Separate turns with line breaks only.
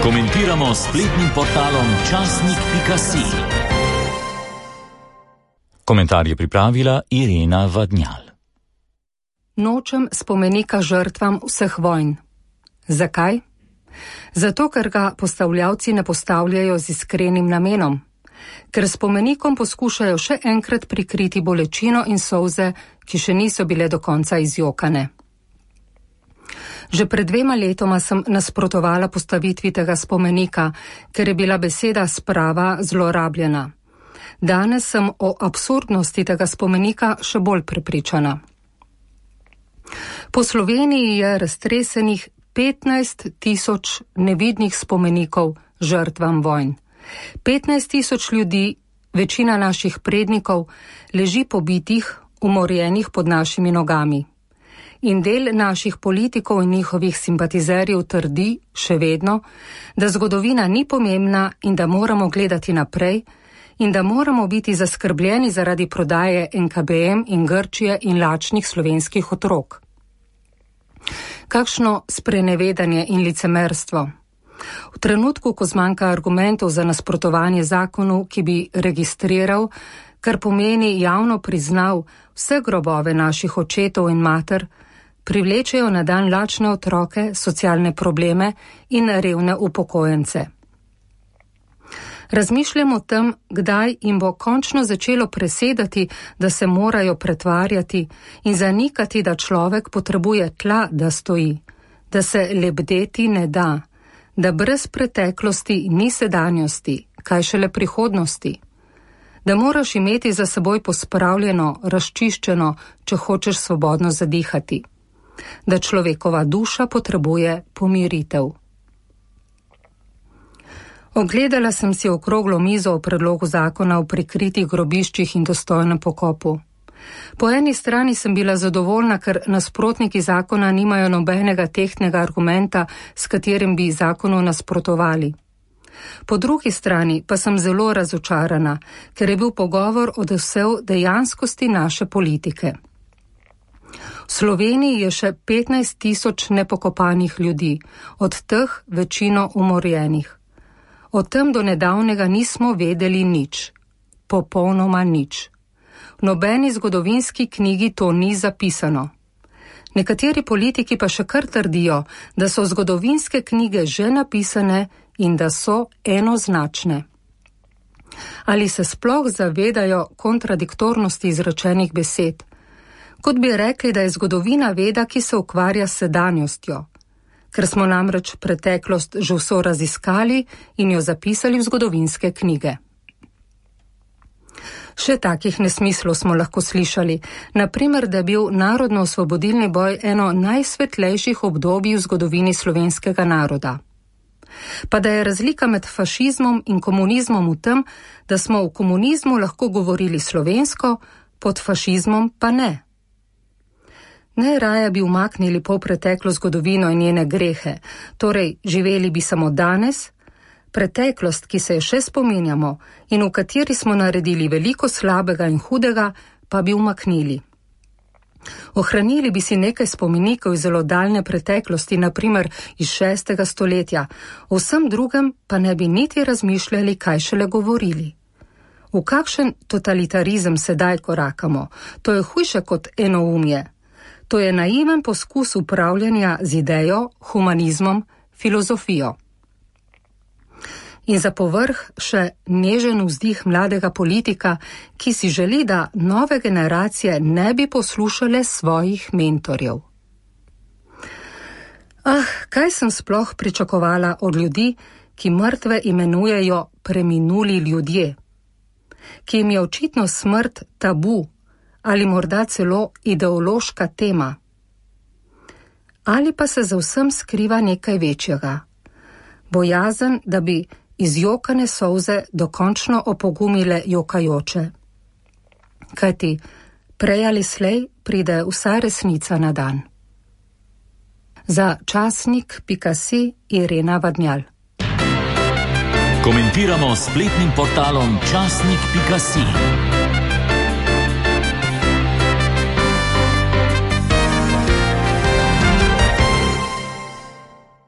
Komentiramo s spletnim portalom časnik.si. Komentar je pripravila Irena Vadnjal.
Nočem spomenika žrtvam vseh vojn. Zakaj? Zato, ker ga postavljavci ne postavljajo z iskrenim namenom. Ker spomenikom poskušajo še enkrat prikriti bolečino in solze, ki še niso bile do konca izjokane. Že pred 2 letoma sem nasprotovala postavitvi tega spomenika, ker je bila beseda sprava zlorabljena. Danes sem o absurdnosti tega spomenika še bolj prepričana. Po Sloveniji je raztresenih 15.000 nevidnih spomenikov žrtvam vojn. 15.000 ljudi, večina naših prednikov, leži pobitih, umorjenih pod našimi nogami. In del naših politikov in njihovih simpatizerjev trdi, še vedno, da zgodovina ni pomembna in da moramo gledati naprej in da moramo biti zaskrbljeni zaradi prodaje NKBM in Grčije in lačnih slovenskih otrok. Kakšno sprenevedanje in licemerstvo. V trenutku, ko zmanjka argumentov za nasprotovanje zakonu, ki bi registriral, kar pomeni javno priznal vse grobove naših očetov in mater, privlečejo na dan lačne otroke, socialne probleme in revne upokojence. Razmišljam o tem, kdaj jim bo končno začelo presedati, da se morajo pretvarjati in zanikati, da človek potrebuje tla, da stoji, da se lebdeti ne da, da brez preteklosti ni sedanjosti, kaj šele prihodnosti, da moraš imeti za seboj pospravljeno, razčiščeno, če hočeš svobodno zadihati, da človekova duša potrebuje pomiritev. Ogledala sem si okroglo mizo o predlogu zakona o prikritih grobiščih in dostojnem pokopu. Po eni strani sem bila zadovoljna, ker nasprotniki zakona nimajo nobenega tehtnega argumenta, s katerim bi zakonu nasprotovali. Po drugi strani pa sem zelo razočarana, ker je bil pogovor odsev dejanskosti naše politike. V Sloveniji je še 15.000 nepokopanih ljudi, od teh večino umorjenih. O tem do nedavnega nismo vedeli nič. Popolnoma nič. V nobeni zgodovinski knjigi to ni zapisano. Nekateri politiki pa še kar trdijo, da so zgodovinske knjige že napisane in da so enoznačne. Ali se sploh zavedajo kontradiktornosti izrečenih besed? Kot bi rekli, da je zgodovina veda, ki se ukvarja s sedanjostjo, ker smo namreč preteklost že vso raziskali in jo zapisali v zgodovinske knjige. Še takih nesmislov smo lahko slišali, naprimer, da je bil narodno-osvobodilni boj eno najsvetlejših obdobij v zgodovini slovenskega naroda. Pa da je razlika med fašizmom in komunizmom v tem, da smo v komunizmu lahko govorili slovensko, pod fašizmom pa ne. Najraje bi umaknili polpreteklo zgodovino in njene grehe, torej živeli bi samo danes, preteklost, ki se je še spominjamo in v kateri smo naredili veliko slabega in hudega, pa bi umaknili. Ohranili bi si nekaj spomenikov iz zelo daljne preteklosti, naprimer iz 6. stoletja, o vsem drugem pa ne bi niti razmišljali, kaj šele govorili. V kakšen totalitarizem sedaj korakamo? To je hujše kot enoumje. To je naiven poskus upravljanja z idejo, humanizmom, filozofijo. In za povrh še nežen vzdih mladega politika, ki si želi, da nove generacije ne bi poslušale svojih mentorjev. Kaj sem sploh pričakovala od ljudi, ki mrtve imenujejo preminuli ljudje, ki jim je očitno smrt tabu, ali morda celo ideološka tema. Ali pa se za vsem skriva nekaj večjega. Bojazen, da bi izjokane solze dokončno opogumile jokajoče. Kajti prej ali slej pride vsa resnica na dan. Za časnik.si Irena Vadnjal.
Komentiramo s spletnim portalom časnik.si.